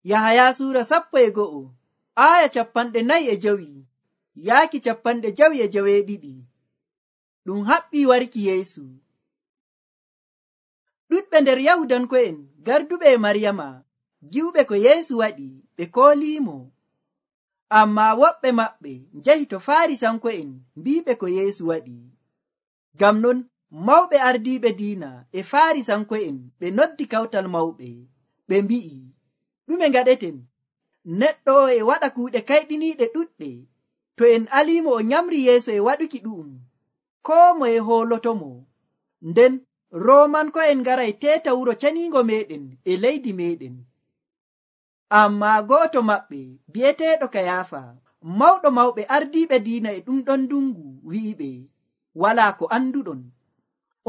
Yahaya suura 11 aya 45 yaaki 52. Ɗum haɓɓii warki Yeesu. Ɗuɗɓe nder Yahudanko'en garduɓe e Maryama gi'uɓe ko Yeesu waɗi ɓe kooliimo. Ammaa woɓɓe maɓɓe njahi to Faarisanko'en mbi'iɓe ko Yeesu waɗi. Ngam non mawɓe ardiiɓe diina e Faarisanko'en ɓe noddi kawtal mawɓe. Ɓe mbi'i, ɗume ngaɗeten? Neɗɗo o e waɗa kuuɗe kayɗiniiɗe ɗuɗɗe. To en aliimo o nyamri yeeso e waɗuki ɗu'um, koo moye hoolotomo. Nden Roomanko'en ngaray teeta wuro ceniingo meeɗen e leydi meeɗen. Ammaa go'oto maɓɓe bi'eteeɗo Kayaafa, mawɗo mawɓe ardiiɓe diina e ɗum ɗon ndungu, wi'iɓe, walaa ko anduɗon.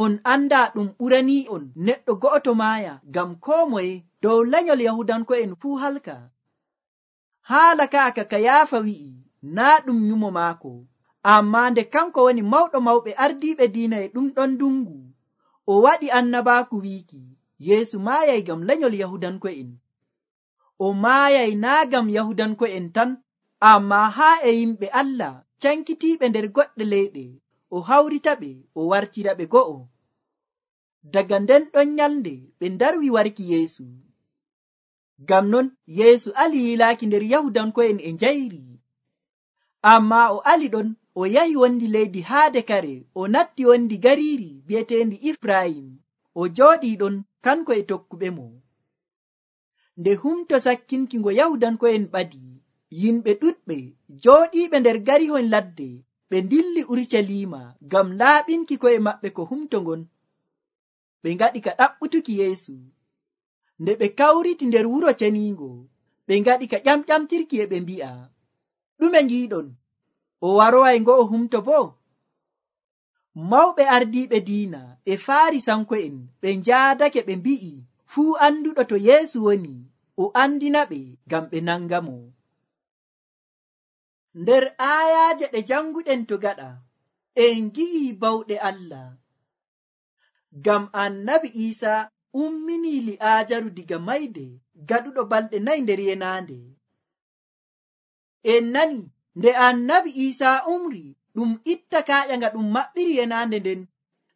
On andaa ɗum ɓuranii'on neɗɗo go'oto maaya ngam koo moye dow lenyol Yahudanko'en fuu halka. Haala ka'a ka Kayaafa wi'i naa ɗum nyumo maako, ammaa nde kanko woni mawɗo mawɓe ardiiɓe diina e ɗum ɗon ndungu, o waɗi annabaaku wiiki Yeesu maayay ngam lenyol Yahudanko'en. O maayay naa ngam Yahudanko'en tan, ammaa haa e yimɓe Allah cankitiiɓe nder goɗɗe leyɗe, o hawritaɓe o wartiraɓe go'o. Daga nden ɗon nyalnde ɓe ndarwi warki Yeesu. Ngam non Yeesu ali yilaaki nder Yahudanko'en e njayri. Ammaa o ali ɗon o yahi wondi leydi haade kare, o natti wondi gariiri bi'eteendi Ifrayim. O jooɗii ɗon kanko e tokkuɓe mo. Nde humto sakkinki ngo Yahudanko'en ɓadi, yimɓe ɗuɗɓe jooɗiiɓe nder garihon ladde ɓe ndilli Urucaliima ngam laaɓinki ko'e maɓɓe ko humto ngon. Ɓe ngaɗi ka ɗaɓɓutuki Yeesu. Nde ɓe kawriti nder wuro ceniingo, ɓe ngaɗi ka ƴamƴamtirki e ɓe mbi'a, ɗume ngiiɗon? O waroway ngo'o humto boo? Mawɓe ardiiɓe diina e Faarisanko'en ɓe njaadake ɓe mbi'i fuu anduɗo to Yeesu woni, o andinaɓe ngam ɓe nangamo. Nder aayaaje ɗe janguɗen to gaɗa, en ngi'ii bawɗe Allah. Ngam annabi Iisaa umminii Li'aajaru diga mayde gaɗuɗo balɗe 4 nder yenaande. En nani nde annabi Iisaa umri, ɗum itta kaaƴa nga ɗum maɓɓiri yenaande nden,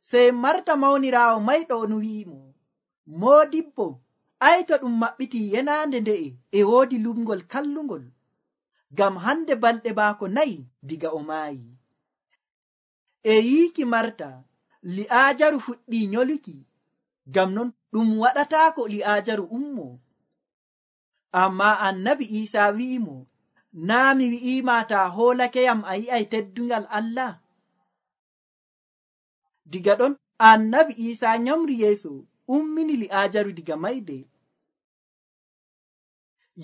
sey Marta mawniraawo mayɗo on wi'imo, Moodibbo, ay to ɗum maɓɓitii yenaande nde'e e woodi lumngol kallungol, ngam hande balɗe maako 4 diga o maayi. E yiiki Marta, Li'aajaru fuɗɗii nyoluki, ngam non ɗum waɗataako Li'aajaru ummo. Ammaa annabi Iisaa wi'imo, naa mi wi'iima taa hoolakeyam a yi'ay teddungal Allah? Diga ɗon annabi Iisaa nyamri yeeso ummini Li'aajaru diga mayde.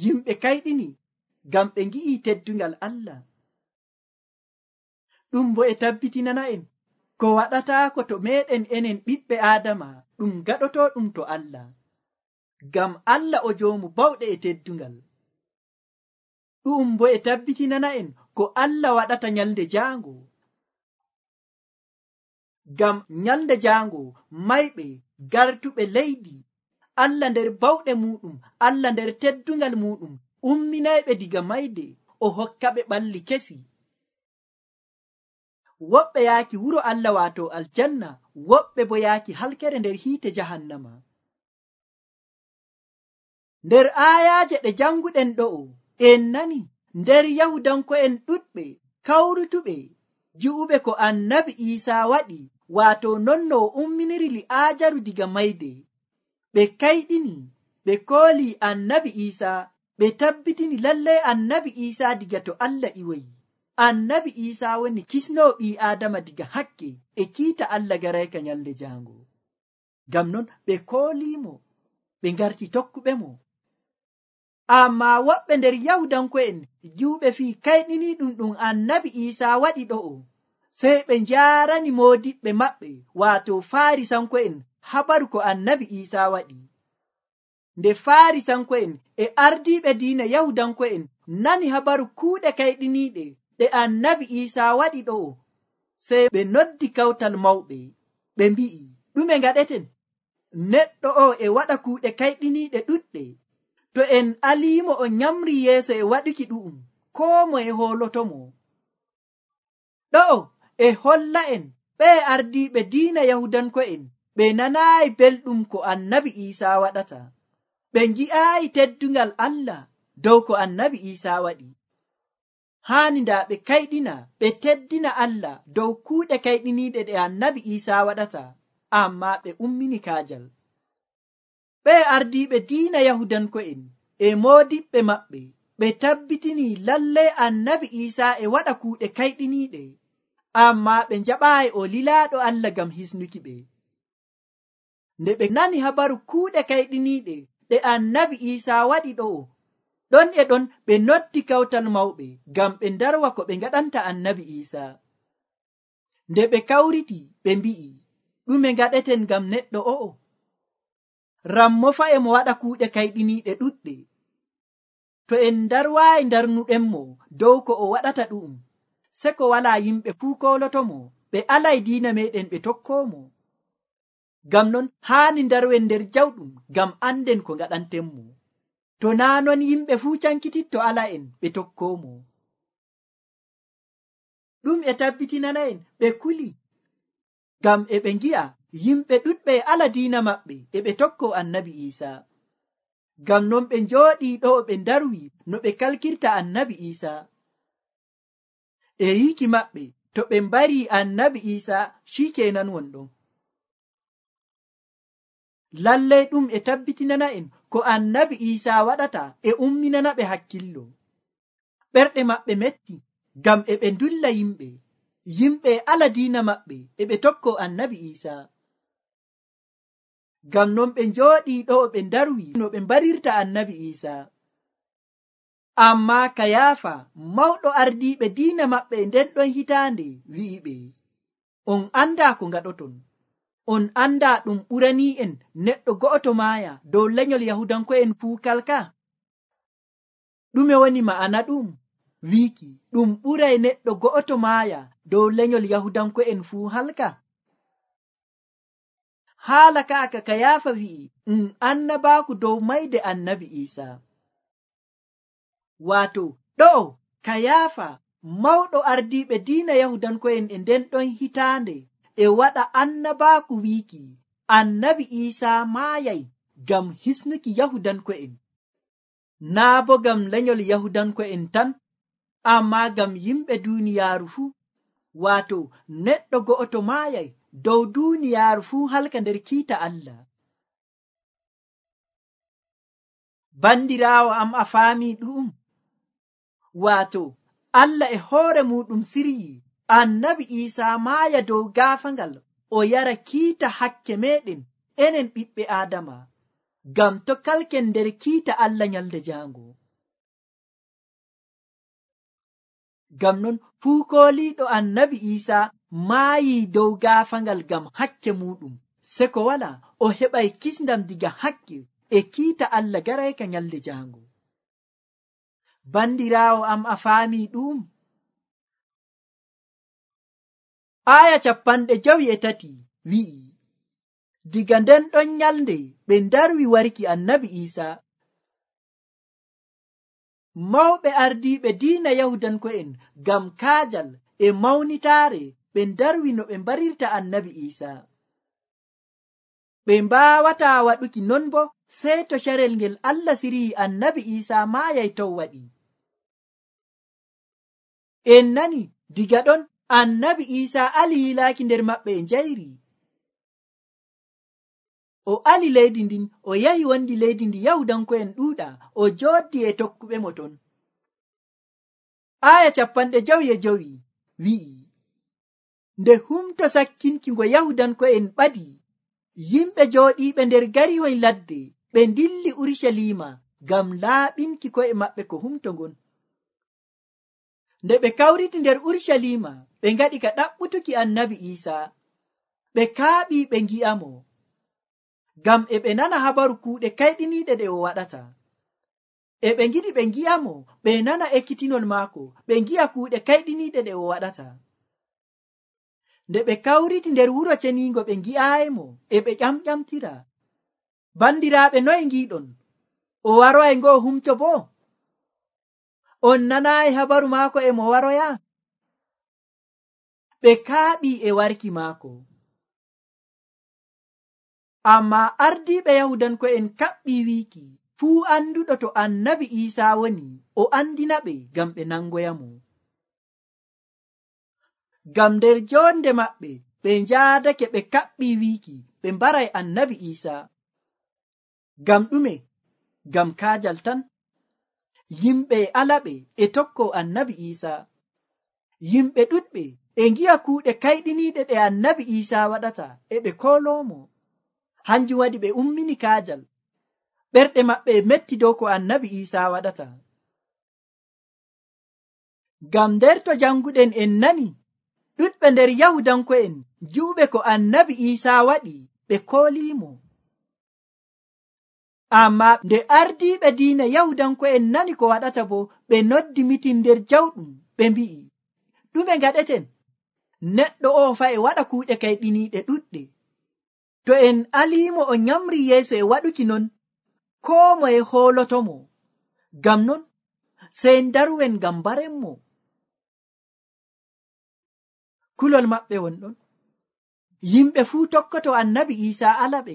Yimɓe kayɗini ngam ɓe ngi'ii teddungal Allah. Ɗum bo e tabbitinana en ko waɗataako to meeɗen enen ɓiɓɓe Aadama ɗum gaɗotoo ɗum to Allah. Ngam Allah o joomu bawɗe e teddungal. Ɗum bo e tabbitinana en ko Allah waɗata nyalde jaango. Ngam nyalde jaango mayɓe gartuɓe leydi, Allah nder bawɗe muɗum, Allah nder teddungal muɗum umminayɓe diga mayde, o hokkaɓe ɓalli kesi. Woɓɓe yaaki wuro Allah waato aljanna, woɓɓe bo yaaki halkere nder hiite jahannama. Nder aayaaje ɗe janguɗen ɗo'o, en nani nder Yahudanko'en ɗuɗɓe kawrutuɓe gi'uɓe ko annabi Iisaa waɗi, waato non no o umminiri Li'aajaru diga mayde. Ɓe kayɗini, ɓe kooli annabi Iisaa, ɓe tabbitini lallay annabi Iisaa diga to Allah iwoyi. Annabi Iisaa woni kisnoo ɓii Aadama diga hakke e kiita Allah garayka nyalde jaango. Ngam non ɓe kooliimo, ɓe ngarti tokkuɓe mo. Ammaa woɓɓe nder Yahudanko'en gi'uɓe fii kayɗini ɗum annabi Iisaa waɗi ɗo'o, sey ɓe njaarani moodiɓɓe maɓɓe waato Faarisanko'en habaru ko annabi Iisaa waɗi. Nde Faarisanko'en e ardiiɓe diina Yahudanko'en nani habaru kuuɗe kayɗiniiɗe ɗe annabi Iisaa waɗi ɗo'o, sey ɓe noddi kawtal mawɓe, ɓe mbi'i, ɗume ngaɗeten? Neɗɗo o e waɗa kuuɗe kayɗiniiɗe ɗuɗɗe. to en aliimo o nyamri yeeso e waɗuki ɗu'um, koo moye hoolotomo. ɗo'o e holla en ɓe ardiiɓe diina yahudanko'en ɓe nanaayi belɗum ko annabi Iisaa waɗata. ɓe ngi'aayi teddungal Allah dow ko annabi Iisaa waɗi. haani ndaa ɓe kayɗina ɓe teddina Allah dow kuuɗe kayɗiniiɗe ɗe annabi Iisaa waɗata, ammaa ɓe ummini kaajal. ɓe ardiiɓe diina yahudanko'en e moodiɓɓe maɓɓe ɓe tabbitini lallay annabi Iisaa e waɗa kuuɗe kayɗiniiɗe, ammaa ɓe njaɓaayi o lilaaɗo Allah ngam hisnuki ɓe. nde ɓe nani habaru kuuɗe kayɗiniiɗe ɗe annabi Iisaa waɗi ɗo'o, ɗon e ɗon ɓe noddi kawtal mawɓe ngam ɓe ndarwa ko ɓe ngaɗanta annabi Iisaa. nde ɓe kawriti ɓe mbi'i, ɗume ngaɗeten ngam neɗɗo o'o? Rammo fa'e mo waɗa kuuɗe kayɗiniiɗe ɗuɗɗe. To en ndarwaayi ndarnuɗenmo dow ko o waɗata ɗu'um, se ko walaa yimɓe fuu koolotomo, ɓe alay diina meɗen ɓe tokkoomo. Ngam non haani ndarwen nder jawɗum ngam anden ko ngaɗantenmo. To naa non yimɓe fuu cankititto ala en ɓe tokkoomo. ɗum e tabbitinana en ɓe kuli, ngam e ɓe ngi'a yimɓe ɗuɗɓe e ala diina maɓɓe e ɓe tokko annabi Iisaa. Ngam non ɓe njooɗii ɗo ɓe ndarwi no ɓe kalkirta annabi Iisaa. E yiki maɓɓe to ɓe mbari annabi Iisaa shikenan wonɗon. Lallai ɗum e tabbitinana en ko annabi Iisaa waɗata e umminana ɓe hakkillo. ɓerɗe maɓɓe metti ngam e ɓe ndulla yimɓe ala diina maɓɓe e ɓe tokko annabi Iisaa. Ngam non ɓe njooɗii ɗo ɓe ndarwi no ɓe mbarirta annabi Iisaa. Ammaa Kayaafa, mawɗo ardiiɓe diina maɓɓe nden ɗon hitaande, wi'i ɓe, on andaa ko ngaɗoton. On andaa ɗum ɓuranii en neɗɗo go'oto maaya dow lenyol Yahudanko'en fuu kalka? ɗume woni ma'ana ɗum? Wiiki ɗum ɓuray neɗɗo go'oto maaya dow lenyol Yahudanko'en fuu halka? Haala kaaka Kayaafa wi'i annabaaku dow mayde annabi Iisaa. Waato ɗo'o Kayaafa, mawɗo ardiiɓe diina Yahudanko'en e nden ɗon hitaande, e waɗa annabaaku wiiki annabi Iisaa maayay ngam hisnuki Yahudanko'en. Naa bo ngam lenyol Yahudanko'en tan, ammaa ngam yimɓe duuniyaaru fuu. Waato neɗɗo go'oto maayay dow duuniyaaru fuu halka nder kiita Allah. Bandiraawo am, a faami ɗum? Waato Allah e hoore muɗum siryi annabi Iisaa maaya dow gaafangal o yara kiita hakke meɗen enen ɓiɓɓe Aadama, ngam to kalken nder kiita Allah nyalde jaango. Ngam non fuu kooliiɗo annabi Iisaa maayi dow gaafangal ngam hakke muɗum, se ko wala o heɓay kisndam diga hakke e kiita Allah garayka nyalde jaango. Bandiraawo am, a faami ɗum? Aya 53 wi'i, diga nden ɗon nyalde ɓe ndarwi warki annabi Iisaa. Mawɓe ardiiɓe diina Yahudanko'en ngam kaajal e mawnitaare ɓe ndarwi no ɓe mbarirta annabi Iisaa. ɓe mbaawataa waɗuki non bo sey to carel ngel Allah siryi annabi Iisaa maayay tow waɗi. En nani diga ɗon annabi Iisaa ali yilaaki nder maɓɓe e njayri. O ali leydi ndin, o yahi wondi leydi ndi Yahudanko'en ɗuuɗa, o jooɗi e tokkuɓe mo ton. Aya 55 wi'i, nde humto sakkinki ngo Yahudanko'en ɓadi, yimɓe jooɗiiɓe nder garihoy ladde ɓe ndilli Urusalima ngam laaɓinki ko'e maɓɓe ko humto ngon. Nde ɓe kawriti nder Urusalima, ɓe ngaɗi ka ɗaɓɓutuki annabi Iisaa. ɓe kaaɓi ɓe ngi'amo, ngam e ɓe nana habaru kuuɗe kayɗiniiɗe ɗe o waɗata. E ɓe ngiɗi ɓe ngi'amo, ɓe nana ekkitinol maako, ɓe ngi'a kuuɗe kayɗiniiɗe ɗe o waɗata. Nde ɓe kawriti nder wuro ceniingo ɓe ngi'aayimo, e ɓe ƴamƴamtira. Bandiraaɓe, noye ngiiɗon? o waroy ngoo humto boo? On nanaayi habaru maako e mo waroya? Ɓe kaaɓii e warki maako. Ammaa ardiiɓe Yahudanko'en kaɓɓii wiiki fuu anduɗo to annabi Iisaa woni o andina ɓe ngam ɓe nangoyamo. Ngam nder jonde maɓɓe ɓe njaadake ɓe kaɓɓii wiiki ɓe mbaray annabi Iisaa. Ngam ɗume? Ngam kaajal tan. Yimɓe alaɓe e tokko annabi Iisaa. Yimɓe ɗuɗɓe e ngi'a kuuɗe kayɗiniiɗe ɗe annabi Iisaa waɗata e ɓe kooloomo. Hanjum waɗi ɓe ummini kaajal. Ɓerɗe maɓɓe e metti dow ko annabi Iisaa waɗata. Ngam nder to janguɗen en nani ɗuɗɓe nder Yahudanko'en gi'uɓe ko annabi Iisaa waɗi ɓe kooliimo. Ammaa nde ardiiɓe diina Yahudanko'en nani ko waɗata bo ɓe noddi mitin nder jawɗum ɓe mbi'i, ɗume ngaɗeten? Neɗɗo o fa'i waɗa kuuɗe kayɗiniiɗe ɗuɗɗe. To en aliimo o nyamri yeeso e waɗuki non, koo moye hoolotomo. Ngam non sey ndaruwen ngam barenmo. Kulol maɓɓe wonɗon. Yimɓe fuu tokkoto annabi Iisaa alaɓe.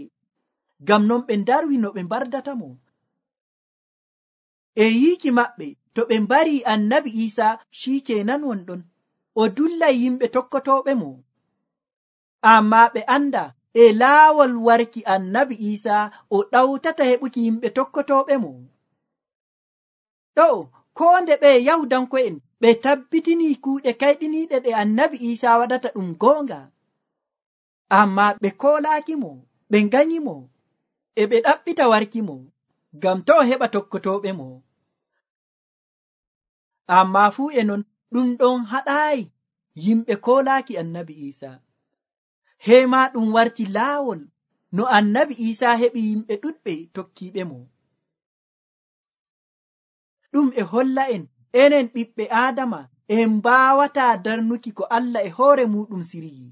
Ngam non ɓe ndarwi no ɓe mbardatamo. E yiiki maɓɓe to ɓe mbari annabi Iisaa shikenan wonɗon. O dullay yimɓe tokkotooɓe mo. Ammaa ɓe anda e laawol warki annabi Iisaa o ɗawtata heɓuki yimɓe tokkotooɓe mo. Ɗo koo nde ɓe Yahudanko'en ɓe tabbitini kuuɗe kayɗiniiɗe ɗe annabi Iisaa waɗata ɗum goonga. Ammaa ɓe koolaaki mo, ɓe nganyi mo, e ɓe ɗaɓɓita warki mo, ngam to o heɓa tokkotooɓe mo. Ammaa fuu e non ɗum ɗon haɗaayi yimɓe koolaaki annabi Iisaa. Heema ɗum warti laawol no annabi Iisaa heɓi yimɓe ɗuɗɓe tokkiiɓe mo. Ɗum e holla en enen ɓiɓɓe Aadama en mbaawataa darnuki ko Allah e hoore muɗum siryi.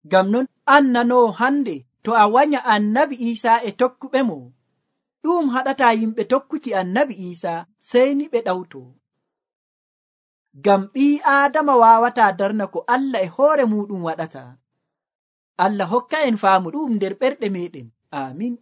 Ngam non an nanoo hande to a wanya annabi Iisaa e tokkuɓe mo, ɗum haɗataa yimɓe tokkuki annabi Iisaa sey ni ɓe ɗawto. Ngam ɓii Aadama waawataa darna ko Allah e hoore muɗum waɗata. Allah hokka en faamu ɗum nder ɓerɗe meɗen. Amin.